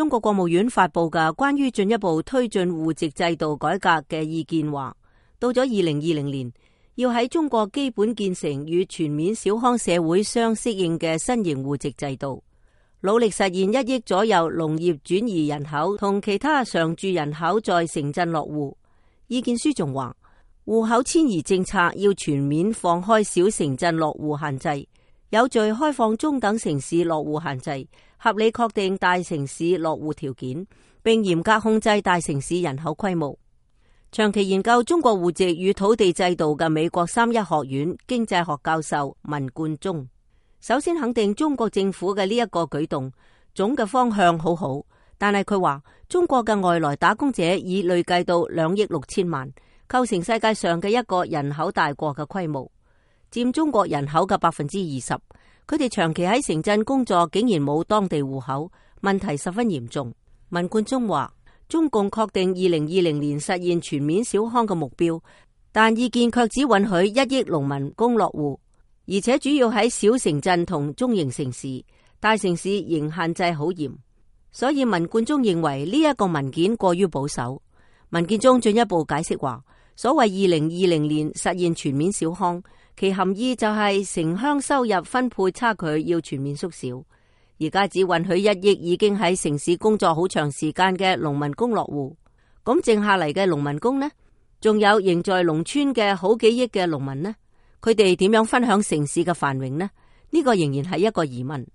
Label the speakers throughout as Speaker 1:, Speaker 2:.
Speaker 1: 中國國務院發佈嘅關於進一步推進戶籍制度改革嘅意見話，到咗2020年，要喺中國基本建成與全面小康社會相適應嘅新型戶籍制度，努力實現1億左右農業轉移人口同其他常住人口在城鎮落戶。意見書仲話，戶口遷移政策要全面放開小城鎮落戶限制，有序開放中等城市落戶限制，合理確定大城市落戶條件，並嚴格控制大城市人口規模。長期研究中國戶籍與土地制度嘅美國3一學院經濟學教授文冠中，首先肯定中國政府嘅呢一個舉動，總嘅方向好好，但係佢話中國嘅外來打工者已累計到2億6千萬，構成世界上嘅一個人口大國嘅規模，佔中國人口嘅20%。佢哋長期喺城鎮工作，竟然冇當地戶口，問題十分嚴重。文冠中話，中共確定2020年實現全面小康嘅目標，但意見卻只允許1億農民工落戶，而且主要喺小城鎮同中型城市，大城市仍限制好嚴。所以文冠中認為呢一個文件過於保守。文件中進一步解釋話，所謂2020年實現全面小康，其含義就係城鄉收入分配差距要全面縮小。而家只允許1億已經喺城市工作好長時間嘅農民工落戶，咁剩下嚟嘅農民工呢？仲有仍在農村嘅好幾億嘅農民呢？佢哋點樣分享城市嘅繁榮呢？呢個仍然係一個疑問。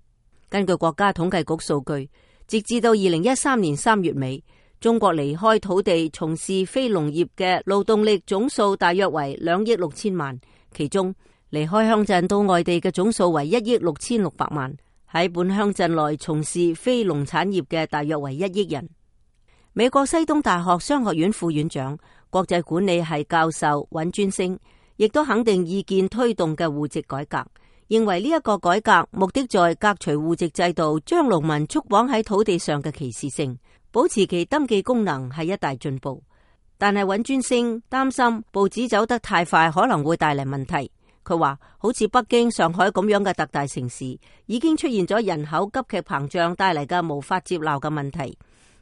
Speaker 1: 根據國家統計局數據，直至到2013年3月尾，中國離開土地從事非農業嘅勞動力總數大約為2億6千萬，其中離開鄉鎮到外地嘅總數為1億6600萬。喺本鄉鎮內從事非農產業嘅大約為1億人。美國西東大學商學院副院長、國際管理系教授尹尊星亦都肯定意見推動嘅戶籍改革，認為呢一個改革目的在革除戶籍制度將農民束綁喺土地上嘅歧視性，保持其登記功能係一大進步。但係尹尊星擔心步子走得太快可能會帶嚟問題。佢話好似北京、上海咁樣嘅特大城市已經出現咗人口急劇膨脹帶嚟嘅無法接納嘅問題，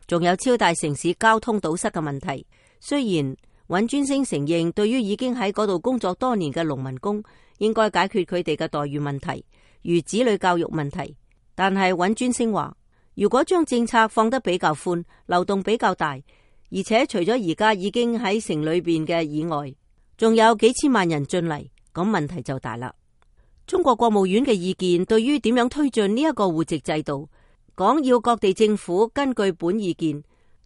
Speaker 1: 仲有超大城市交通堵塞嘅問題。雖然尹尊星承認對於已經喺嗰度工作多年嘅農民工應該解決佢哋嘅待遇問題，如子女教育問題，但係尹尊星話，如果將政策放得比較寬，流動比較大，而且除咗而家已經喺城裏邊嘅以外，仲有幾千萬人進嚟，咁問題就大啦。中國國務院嘅意見對於點樣推進呢一個戶籍制度，講要各地政府根據本意見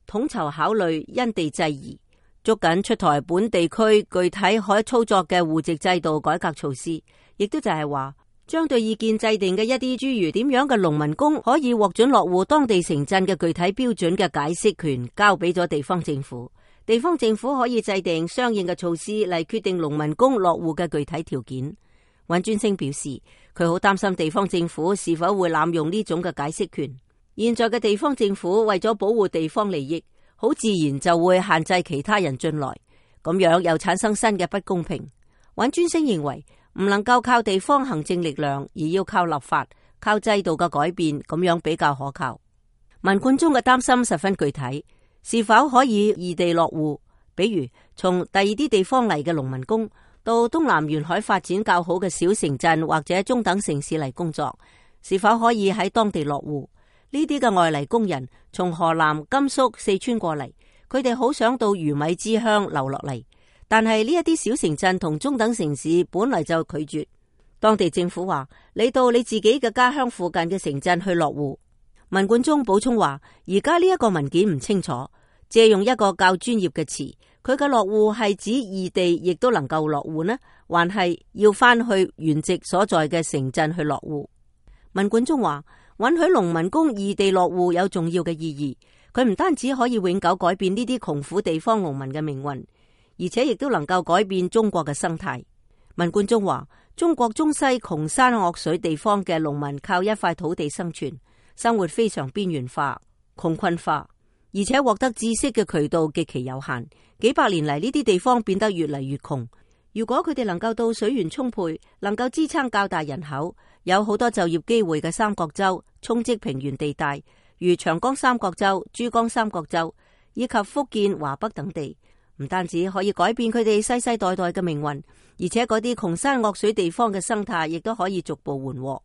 Speaker 1: 統籌考慮，因地制宜，捉緊出台本地區具體可操作嘅戶籍制度改革措施，亦都就係話將對意見制定嘅一啲諸如點樣嘅農民工可以獲准落戶當地城鎮嘅具體標準嘅解釋權交俾咗地方政府。地方政府可以制定相應嘅措施嚟決定農民工落戶嘅具體條件。尹尊星表示，佢好擔心地方政府是否會濫用呢種嘅解釋權。現在嘅地方政府為咗保護地方利益，好自然就會限制其他人進來，咁樣又產生新嘅不公平。尹尊星認為唔能夠靠地方行政力量，而要靠立法、靠制度嘅改變，咁樣比較可靠。文冠中嘅擔心十分具體。是否可以異地落戶？比如從第二啲地方嚟嘅農民工到東南沿海發展較好嘅小城鎮或者中等城市嚟工作，是否可以喺當地落戶？呢啲嘅外嚟工人從河南、甘肅、四川過嚟，佢哋好想到魚米之鄉留落嚟，但係呢一啲小城鎮同中等城市本來就拒絕。當地政府話，你到你自己嘅家鄉附近嘅城鎮去落戶。文冠中補充話，而家呢一個文件唔清楚，借用一個較專業嘅詞，佢嘅落戶係指異地亦都能夠落戶呢，還係要翻去原籍所在嘅城鎮去落戶？文冠中話，允許農民工異地落戶有重要嘅意義，佢唔單止可以永久改變呢啲窮苦地方農民嘅命運，而且亦都能夠改變中國嘅生態。文冠中話，中國中西窮山惡水地方嘅農民靠一塊土地生存，生活非常邊緣化、窮困化，而且獲得知識嘅渠道極其有限。幾百年嚟，呢啲地方變得越嚟越窮。如果佢哋能夠到水源充沛、能夠支撐較大人口、有好多就業機會嘅三角洲、沖積平原地帶，如長江三角洲、珠江三角洲以及福建、華北等地，唔單止可以改變佢哋世世代代嘅命運，而且嗰啲窮山惡水地方嘅生態亦都可以逐步緩和。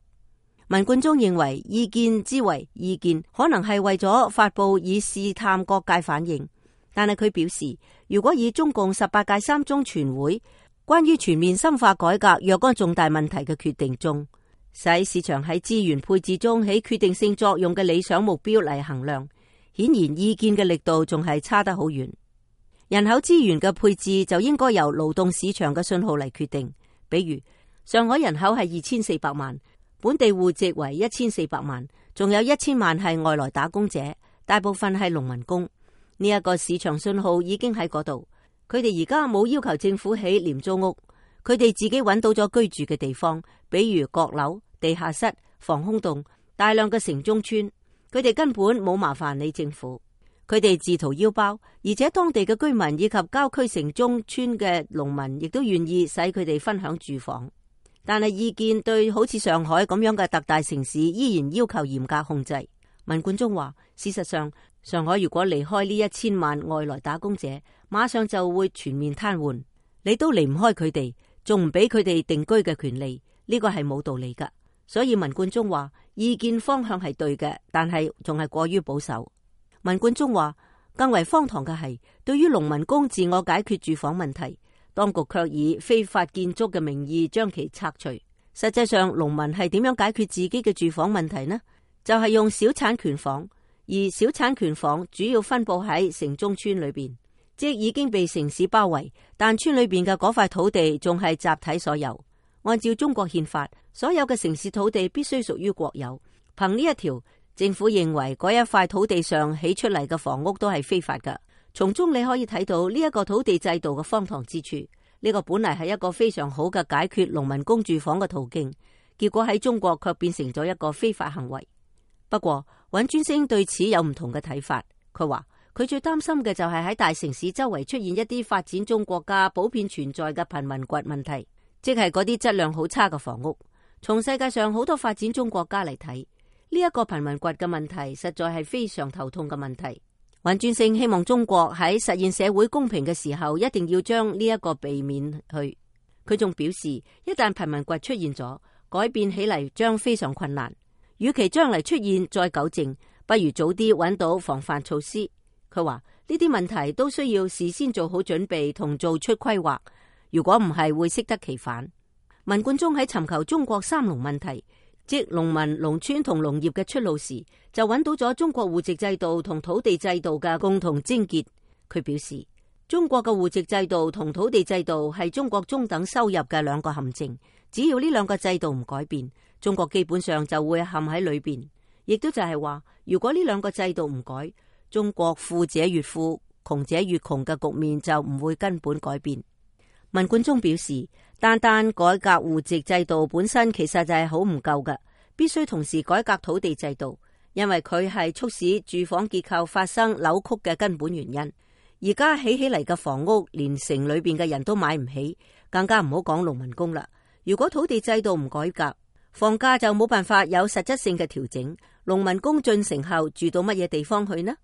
Speaker 1: 文冠中認為，意見之為意見，可能係為咗發佈以試探各界反應，但係佢表示，如果以中共18屆三中全會關於全面深化改革若干重大問題嘅決定中，使市場喺資源配置中起決定性作用嘅理想目標嚟衡量，顯然意見嘅力度仲係差得好遠。人口資源嘅配置就應該由勞動市場嘅信號嚟決定，比如上海人口係2400萬，本地戶籍為1400萬，仲有1000萬係外來打工者，大部分係農民工。呢一個市場信號已經喺嗰度，佢哋而家冇要求政府起廉租屋，佢哋自己揾到咗居住嘅地方，比如閣樓、地下室、防空洞、大量嘅城中村，佢哋根本冇麻煩你政府，佢哋自掏腰包，而且當地嘅居民以及郊區城中村嘅農民亦都願意使佢哋分享住房。但係意見對好似上海咁樣嘅特大城市依然要求嚴格控制。文冠中話，事實上上海如果離開呢1000萬外來打工者，馬上就會全面癱瘓，你都離唔開佢哋，仲唔俾佢哋定居嘅權利，呢個係冇道理噶。所以文冠中話，意見方向係對嘅，但係仲係過於保守。文冠中話，更為荒唐嘅係，對於農民工自我解決住房問題，當局卻以非法建築嘅名義將其拆除。實際上，農民係點樣解決自己嘅住房問題呢？就係用小產權房，而小產權房主要分布喺城中村裏邊，即已經被城市包圍，但村裏邊嘅嗰塊土地仲係集體所有。按照中國憲法，所有嘅城市土地必須屬於國有。憑呢一條，政府認為嗰一塊土地上起出嚟嘅房屋都係非法㗎。從中你可以睇到呢一個土地制度嘅荒唐之處。呢個本嚟係一個非常好嘅解決農民工住房嘅途徑，結果喺中國卻變成咗一個非法行為。不過尹尊星對此有唔同嘅睇法。佢話佢最擔心嘅就係喺大城市周圍出現一啲發展中國家普遍存在嘅貧民窟問題，即係嗰啲質量好差嘅房屋。從世界上好多發展中國家嚟睇，呢一個貧民窟嘅問題實在係非常頭痛嘅問題。尹尊星希望中國喺實現社會公平嘅時候，一定要將呢一個避免去。佢仲表示，一旦貧民窟出現咗，改變起嚟將非常困難。與其將嚟出現再糾正，不如早啲揾到防範措施。佢話呢啲問題都需要事先做好準備同做出規劃，如果唔係會適得其反。文冠中喺尋求中國三農問題，即農民、農村同農業嘅出路時，就揾到咗中國戶籍制度同土地制度嘅共同症結。佢表示，中國嘅戶籍制度同土地制度係中國中等收入嘅兩個陷阱，只要呢兩個制度唔改變，中國基本上就會陷喺裏邊。亦都就係話，如果呢兩個制度唔改，中國富者越富，窮者越窮嘅局面就唔會根本改變。文冠中表示，單單改革戶籍制度本身其實就係好唔夠嘅，必須同時改革土地制度，因為佢係促使住房結構發生扭曲嘅根本原因。而家起嚟嘅房屋，連城裏邊嘅人都買唔起，更加唔好講農民工啦。如果土地制度唔改革，房價就冇辦法有實質性嘅調整。農民工進城後住到乜嘢地方去呢？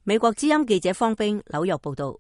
Speaker 1: 美國之音記者方冰紐約報道。